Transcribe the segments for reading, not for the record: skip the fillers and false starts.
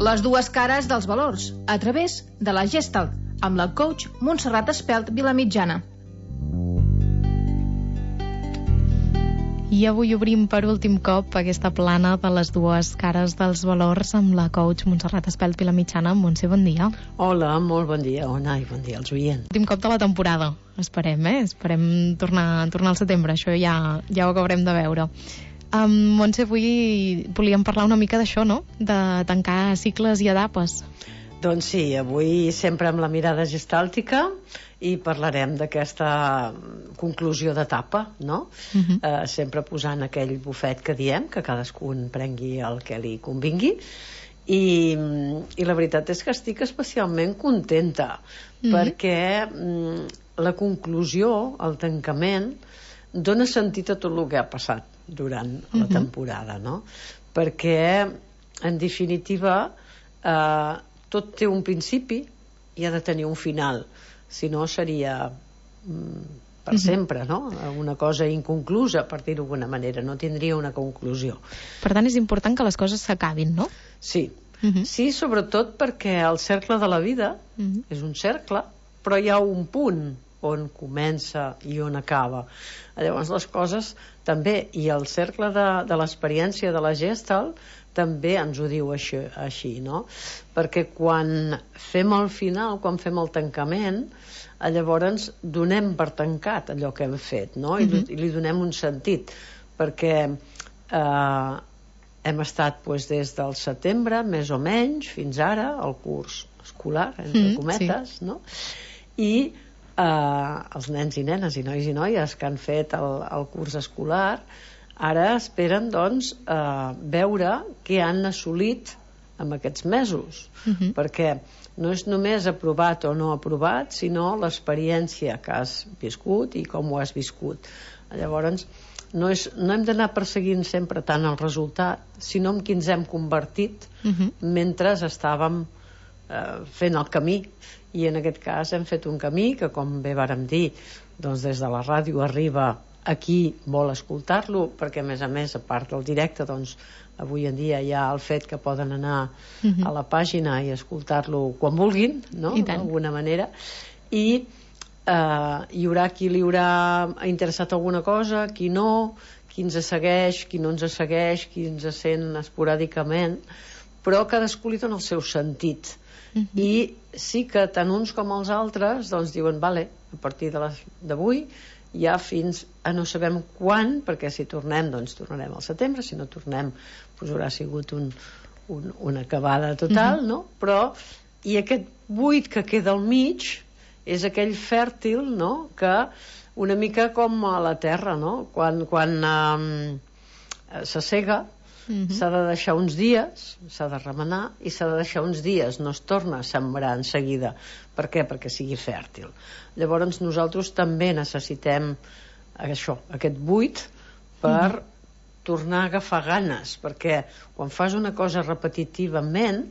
Les dues cares dels valors, a través de la Gestalt, amb la coach Montserrat Espelt Vilamitjana. I avui obrim per últim cop aquesta plana de les dues cares dels valors amb la coach Montserrat Espelt Vilamitjana. Montse, bon dia. Hola, molt bon dia, Ona, i bon dia als oients. Últim cop de la temporada, esperem, Esperem tornar al setembre, això ja ho acabarem de veure. Montse, avui volíem parlar una mica d'això, no?, de tancar cicles i etapes. Doncs sí, avui sempre amb la mirada gestàltica i parlarem d'aquesta conclusió d'etapa, no? Sempre posant aquell bufet que diem, que cadascun prengui el que li convingui, i la veritat és que estic especialment contenta perquè la conclusió, el tancament, dona sentit a tot el que ha passat durant la temporada, no? Perquè en definitiva tot té un principi i ha de tenir un final, si no seria per sempre, no? Una cosa inconclusa, per dir-ho d'alguna manera, no tindria una conclusió. Per tant, és important que les coses s'acabin, no? Sí, sí, sobretot perquè el cercle de la vida és un cercle, però hi ha un punt on comença i on acaba. Llavors les coses també, i el cercle de l'experiència de la Gestalt també ens ho diu així, no? Perquè quan fem el final, quan fem el tancament, llavors donem per tancat allò que hem fet, no? I li donem un sentit, perquè hem estat des del setembre, més o menys, fins ara, el curs escolar, entre cometes, no? I els nens i nenes i nois i noies que han fet el curs escolar ara esperen, doncs, veure què han assolit en aquests mesos, perquè no és només aprovat o no aprovat, sinó l'experiència que has viscut i com ho has viscut. Llavors, no hem d'anar perseguint sempre tant el resultat, sinó en qui ens hem convertit mentre estàvem fent el camí. I en aquest cas hem fet un camí que, com bé vàrem dir, doncs des de la ràdio arriba a qui vol escoltar-lo, perquè a més, a part del directe, doncs avui en dia hi ha el fet que poden anar a la pàgina i escoltar-lo quan vulguin, no? D'alguna manera. I hi haurà qui li haurà interessat alguna cosa, qui no, qui ens segueix, qui no ens segueix, qui ens sent esporàdicament, però cadascú li dona el seu sentit. I sí que tant uns com els altres doncs diuen, vale, a partir d'avui ja fins a no sabem quan, perquè si tornem doncs tornarem al setembre, si no tornem doncs haurà sigut una acabada total, no? Però i aquest buit que queda al mig és aquell fèrtil, no? Que una mica com a la terra, no? Quan s'assega s'ha de deixar uns dies, s'ha de remenar i s'ha de deixar uns dies, no es torna a sembrar en seguida. Per què? Perquè sigui fèrtil. Llavors nosaltres també necessitem això, aquest buit per tornar a agafar ganes, perquè quan fas una cosa repetitivament,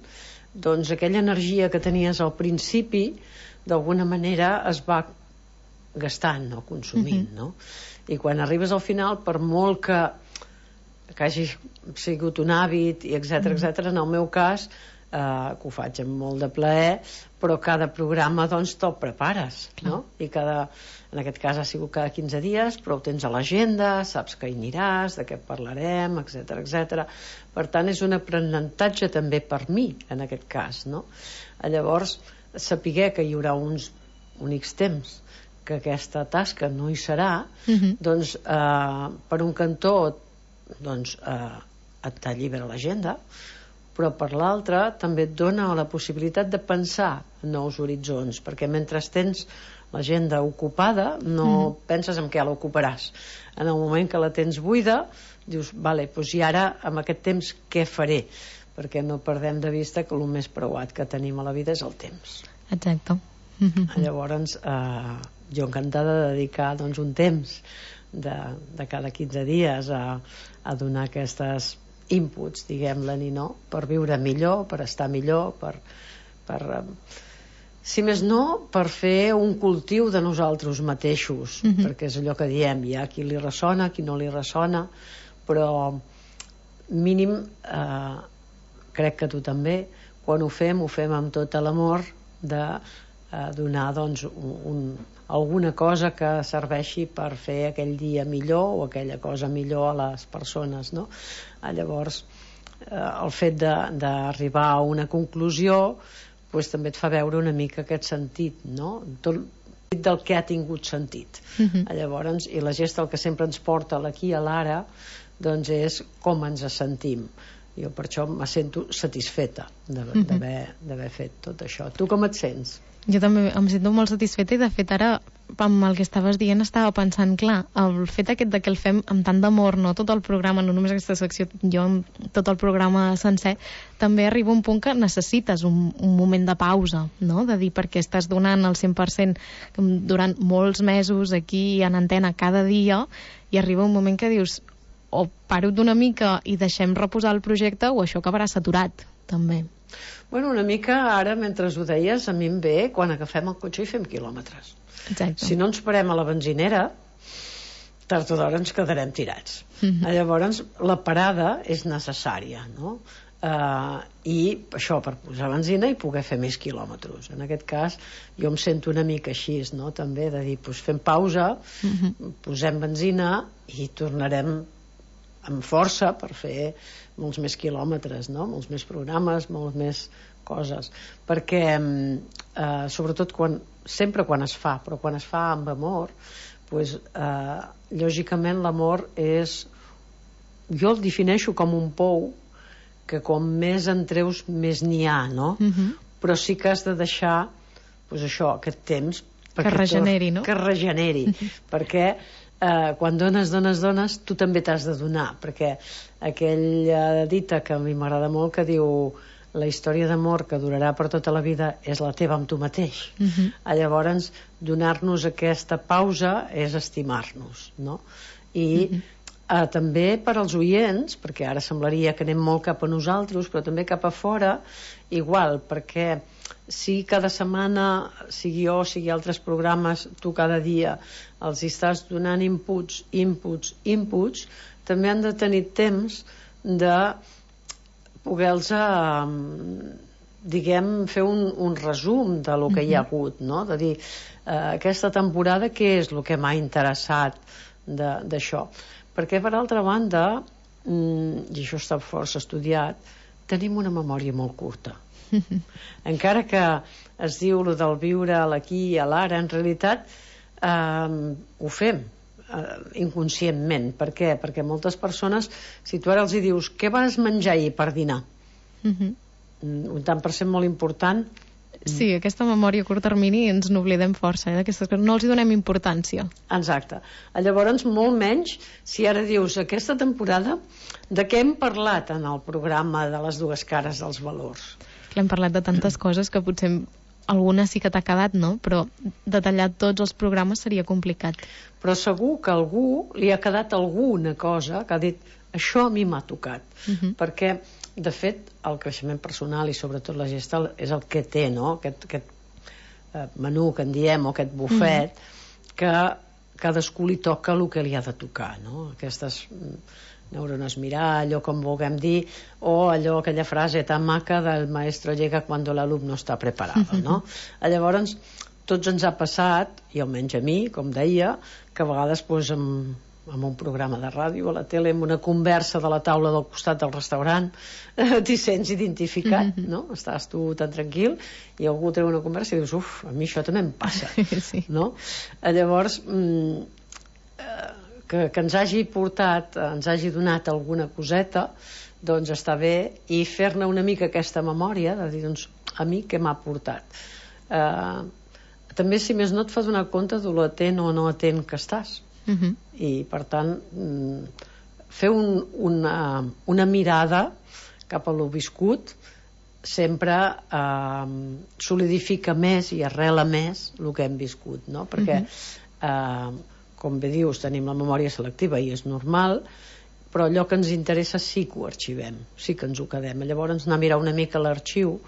doncs aquella energia que tenies al principi d'alguna manera es va gastant o consumint, no? I quan arribes al final, per molt que hagi sigut un hàbit i etcètera, en el meu cas que ho faig amb molt de plaer, però cada programa doncs te'l prepares, no? I en aquest cas ha sigut cada 15 dies, però ho tens a l'agenda, saps que hi aniràs, de què parlarem, etcètera. Per tant, és un aprenentatge també per mi, en aquest cas, no? Llavors, saber que hi haurà uns únics temps que aquesta tasca no hi serà, doncs per un cantó doncs et allibera l'agenda, però per l'altre també et dona la possibilitat de pensar en nous horitzons, perquè mentre tens l'agenda ocupada no penses en què l'ocuparàs. En el moment que la tens buida dius, vale, doncs i ara amb aquest temps què faré? Perquè no perdem de vista que el més preuat que tenim a la vida és el temps. Exacte. Llavors jo encantada de dedicar doncs un temps de cada 15 dies a donar aquestes inputs, diguem-ne, no? Per viure millor, per estar millor, si més no, per fer un cultiu de nosaltres mateixos, perquè és allò que diem, hi ha qui li ressona, qui no li ressona, però mínim crec que tu també, quan ho fem amb tot l'amor de donar doncs, alguna cosa que serveixi per fer aquell dia millor o aquella cosa millor a les persones, no? Llavors el fet d'arribar a una conclusió pues, també et fa veure una mica aquest sentit, no? Tot del que ha tingut sentit. Llavors, i la Gestalt que sempre ens porta l'aquí a l'ara, doncs és com ens sentim. Jo per això me sento satisfeta d'haver fet tot això. Tu com et sents? Jo també em sento molt satisfeta i de fet ara amb el que estaves dient estava pensant, clar, el fet aquest de que el fem amb tant d'amor, no tot el programa, no només aquesta secció, jo tot el programa sencer, també arriba un punt que necessites un moment de pausa, no? De dir, perquè estàs donant el 100% durant molts mesos aquí en antena cada dia i arriba un moment que dius o paro d'una mica i deixem reposar el projecte o això acabarà saturat, també. Bueno, una mica ara, mentre ho deies, a mi em ve quan agafem el cotxe i fem quilòmetres. Exacte. Si no ens parem a la benzinera, tard o d'hora ens quedarem tirats. Llavors, la parada és necessària, no? I això, per posar benzina i poder fer més quilòmetres. En aquest cas, jo em sento una mica així, no? També, de dir, doncs fem pausa, posem benzina i tornarem amb força per fer molts més quilòmetres, no? Molts més programes, molts més coses, perquè sobretot sempre quan es fa, però quan es fa amb amor, pues, lògicament l'amor és, jo el defineixo com un pou que com més en treus més n'hi ha, no? Però sí que has de deixar pues això, aquest temps que regeneri, no? Que regeneri, perquè quan dones, tu també t'has de donar, perquè aquella dita que a mi m'agrada molt que diu la història d'amor que durarà per tota la vida és la teva amb tu mateix. Llavors, donar-nos aquesta pausa és estimar-nos, no? I també per als oients, perquè ara semblaria que anem molt cap a nosaltres, però també cap a fora, igual, perquè si cada setmana, sigui jo, sigui altres programes, tu cada dia els estàs donant inputs, també han de tenir temps de poder-los diguem, fer un resum de lo que hi ha hagut, no? De dir, aquesta temporada què és el que m'ha interessat d'això, perquè per altra banda, i això està força estudiat, tenim una memòria molt curta. Encara que es diu lo del viure a l'aquí i a l'ara, en realitat ho fem inconscientment. Per què? Perquè moltes persones, si tu ara els dius què vas menjar ahir per dinar, un tant per cent molt important. Sí, aquesta memòria a curt termini ens n'oblidem força, d'aquestes coses, no els hi donem importància. Exacte. Llavors, molt menys si ara dius aquesta temporada de què hem parlat en el programa de les dues cares dels valors. Hem parlat de tantes coses que potser alguna sí que t'ha quedat, no? Però detallar tots els programes seria complicat. Però segur que a algú li ha quedat alguna cosa que ha dit això a mi m'ha tocat. Perquè, de fet, el creixement personal i sobretot la Gestalt és el que té, no? Aquest menú que en diem, o aquest bufet, que cadascú li toca el que li ha de tocar, no? Aquestes neurones mirall, o com vulguem dir, o allò, aquella frase tan maca del maestro llega cuando l'alumno està preparado, no? Llavors, tots ens ha passat, i almenys a mi, com deia, que a vegades pues, amb un programa de ràdio, a la tele, amb una conversa de la taula del costat del restaurant, t'hi sents identificat, no? Estàs tu tan tranquil i algú treu una conversa i dius, uf, a mi això també em passa, no? Llavors, que ens hagi portat, ens hagi donat alguna coseta, doncs està bé, i fer-ne una mica aquesta memòria, de dir, doncs, a mi què m'ha portat. També, si més no, et fa donar compte de l'atent o no atent que estàs. I, per tant, fer una mirada cap a lo viscut sempre solidifica més i arrela més el que hem viscut, no? Perquè com bé dius, tenim la memòria selectiva i és normal, però allò que ens interessa sí que ho arxivem, sí que ens ho quedem. Llavors anar a mirar una mica l'arxiu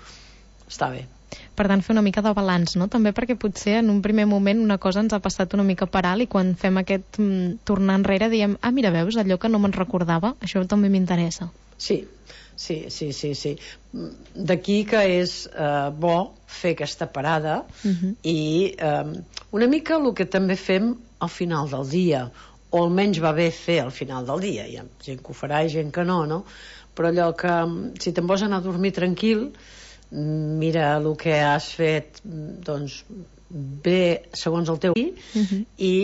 està bé. Per tant, fer una mica de balanç, no? També perquè potser en un primer moment una cosa ens ha passat una mica per alt i quan fem aquest tornar enrere diem, mira, veus, allò que no me'n recordava, això també m'interessa. Sí, Sí. D'aquí que és bo fer aquesta parada i una mica el que també fem al final del dia, o almenys va bé fer al final del dia. Hi ha gent que ho farà i gent que no, no? Però allò que si te'n vols anar a dormir tranquil, mira el que has fet doncs bé segons el teu i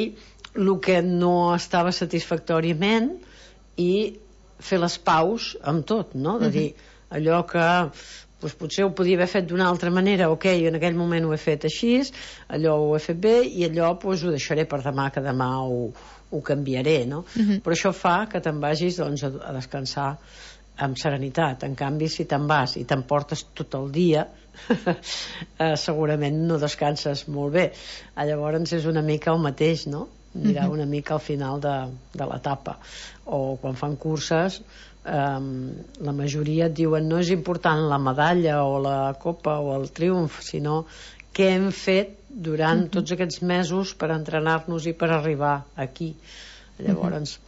el que no estava satisfactòriament, i fer les paus amb tot, no? De dir allò que doncs, potser ho podia haver fet d'una altra manera, ok, en aquell moment ho he fet així, allò ho he fet bé, i allò doncs, ho deixaré per demà, que demà ho canviaré, no? Però això fa que te'n vagis doncs, a descansar amb serenitat. En canvi, si te'n vas i t'emportes tot el dia segurament no descanses molt bé. Llavors és una mica el mateix, no? Mirar una mica al final de l'etapa. O quan fan curses, la majoria et diuen no és important la medalla o la copa o el triomf, sinó què hem fet durant tots aquests mesos per entrenar-nos i per arribar aquí. Llavors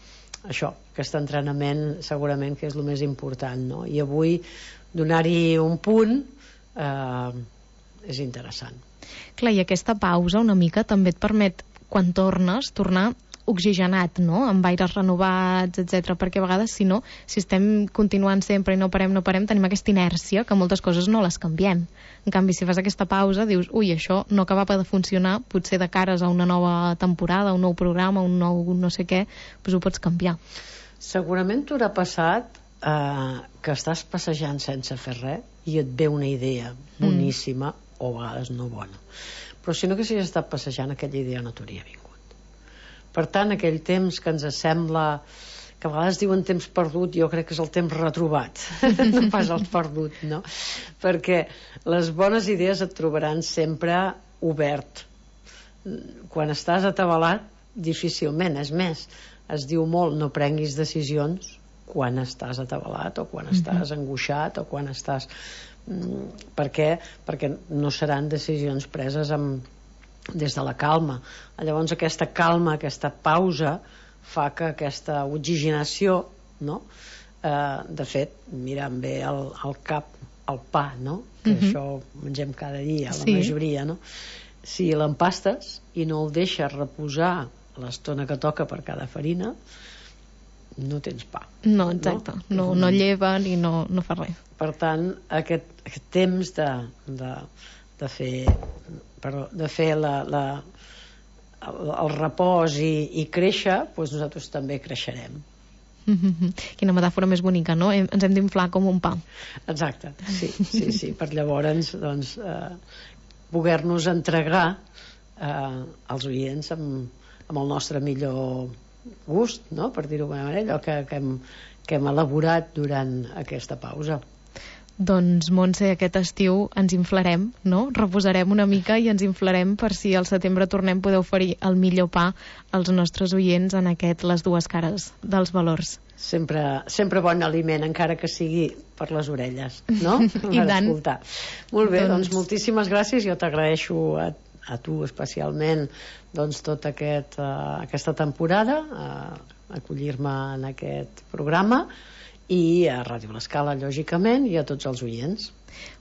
això, aquest entrenament segurament que és el més important, no? I avui donar-hi un punt és interessant. Clar, i aquesta pausa una mica també et permet, quan tornes, tornar oxigenat, no? Amb aires renovats, etc. Perquè a vegades, si no, si estem continuant sempre i no parem, tenim aquesta inèrcia que moltes coses no les canviem. En canvi, si fas aquesta pausa, dius, ui, això no acabava de funcionar, potser de cares a una nova temporada, un nou programa, un nou no sé què, doncs ho pots canviar. Segurament t'haurà passat que estàs passejant sense fer res i et ve una idea boníssima o a vegades no bona. Però si no haguessis estat passejant, aquella idea no t'hauria vingut. Per tant, aquell temps que ens sembla, que a vegades diuen temps perdut, jo crec que és el temps retrobat, no pas el perdut, no? Perquè les bones idees et trobaran sempre obert. Quan estàs atabalat, difícilment, és més, es diu molt, no prenguis decisions quan estàs atabalat o quan estàs angoixat o quan estàs... Per què? Perquè no seran decisions preses des de la calma. Llavors aquesta calma, aquesta pausa fa que aquesta oxigenació, no? De fet, mirant bé el cap, el pa, no? Que això ho mengem cada dia, la majoria, no? Si l'empastes i no el deixes reposar l'estona que toca per cada farina, no tens pa. No, exacte. No lleva ni no fa res. Per tant, aquest temps de fer el repòs i créixer, doncs nosaltres també creixerem. Quina metàfora més bonica, no? Ens hem d'inflar com un pa. Exacte, sí. Per llavors doncs, poder-nos entregar als oients amb el nostre millor gust, no? Per dir-ho d'una manera, allò que hem elaborat durant aquesta pausa. Doncs, Montse, aquest estiu ens inflarem, no? Reposarem una mica i ens inflarem per si al setembre tornem poder oferir el millor pa als nostres oients en aquest Les dues cares dels valors. Sempre bon aliment, encara que sigui per les orelles, no? I tant. Escoltar. Molt bé, doncs moltíssimes gràcies. Jo t'agraeixo a tu especialment doncs tota aquesta temporada, acollir-me en aquest programa, i a Ràdio L'Escala, lògicament, i a tots els oients.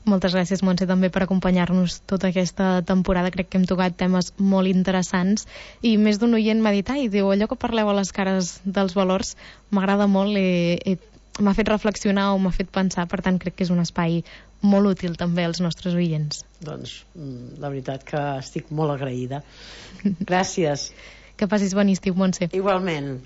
Moltes gràcies, Montse, també per acompanyar-nos tota aquesta temporada. Crec que hem tocat temes molt interessants i més d'un oient m'ha dit, ai, diu, allò que parleu a les cares dels valors m'agrada molt, m'ha fet reflexionar o m'ha fet pensar, per tant crec que és un espai molt útil també als nostres oients. Doncs la veritat que estic molt agraïda. Gràcies. Que passis bon estiu, Montse. Igualment.